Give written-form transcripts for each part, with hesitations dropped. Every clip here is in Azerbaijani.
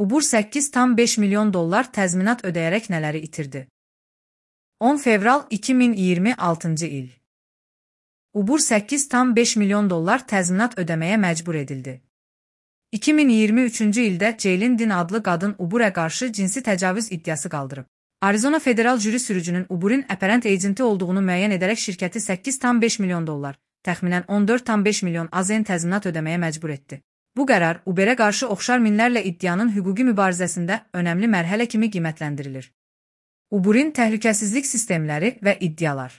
Uber 8,5 milyon dollar təzminat ödəyərək nələri itirdi? 10 fevral 2026 il. Uber 8,5 milyon dollar təzminat ödəməyə məcbur edildi. 2023-cü ildə Ceylin Din adlı qadın Uberə qarşı cinsi təcavüz iddiası qaldırıb. Arizona Federal Jüri sürücünün Uber'in apparent agenti olduğunu müəyyən edərək şirkəti 8,5 milyon dollar, təxminən 14,5 milyon AZN təzminat ödəməyə məcbur etdi. Bu qərar Uberə qarşı oxşar minlərlə iddianın hüquqi mübarizəsində önəmli mərhələ kimi qiymətləndirilir. Uber'in təhlükəsizlik sistemləri və iddialar.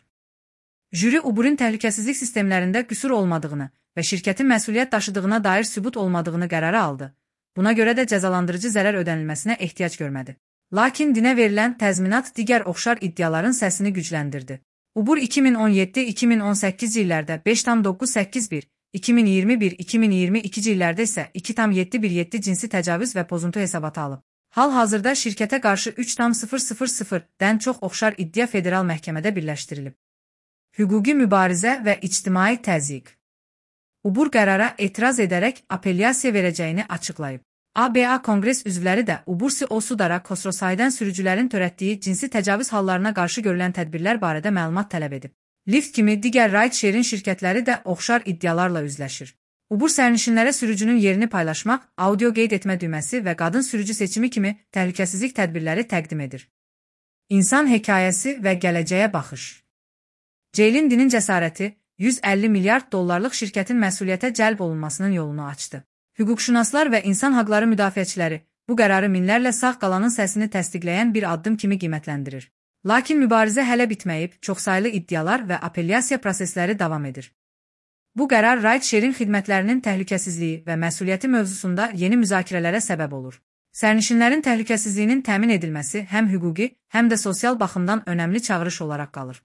Jüri Uber'in təhlükəsizlik sistemlərində qüsur olmadığını və şirkətin məsuliyyət daşıdığına dair sübut olmadığını qərara aldı. Buna görə də cəzalandırıcı zərər ödənilməsinə ehtiyac görmədi. Lakin dinə verilən təzminat digər oxşar iddiaların səsini gücləndirdi. Uber 2017-2018 illərdə 5,981, 2021-2022 illərdə isə 2,717 cinsi təcavüz və pozuntu hesabatı alıb. Hal-hazırda şirkətə qarşı 3,000-dən çox oxşar iddia federal məhkəmədə birləşdirilib. Hüquqi mübarizə və ictimai təzyiq. Uber qərara etiraz edərək apellyasiya verəcəyini açıqlayıb. ABA Konqres üzvləri də Uber CEO Sudara Khosrowshahidən sürücülərin törətdiyi cinsi təcavüz hallarına qarşı görülən tədbirlər barədə məlumat tələb edib. Lyft kimi digər ride-sharing şirkətləri də oxşar iddialarla üzləşir. Uber sərnişinlərə sürücünün yerini paylaşmaq, audio qeyd etmə düyməsi və qadın sürücü seçimi kimi təhlükəsizlik tədbirləri təqdim edir. İnsan hekayəsi və gələcəyə baxış. Ceylin Dinin cəsarəti 150 milyard dollarlıq şirkətin məsuliyyətə cəlb olunmasının yolunu açdı. Hüquqşünaslar və insan haqları müdafiəçiləri bu qərarı minlərlə sağ qalanın səsini təsdiqləyən bir addım kimi qiymətləndirir. Lakin mübarizə hələ bitməyib, çoxsaylı iddialar və apellyasiya prosesləri davam edir. Bu qərar ride-sharing xidmətlərinin təhlükəsizliyi və məsuliyyəti mövzusunda yeni müzakirələrə səbəb olur. Sərnişinlərin təhlükəsizliyinin təmin edilməsi həm hüquqi, həm də sosial baxımdan önəmli çağırış olaraq qalır.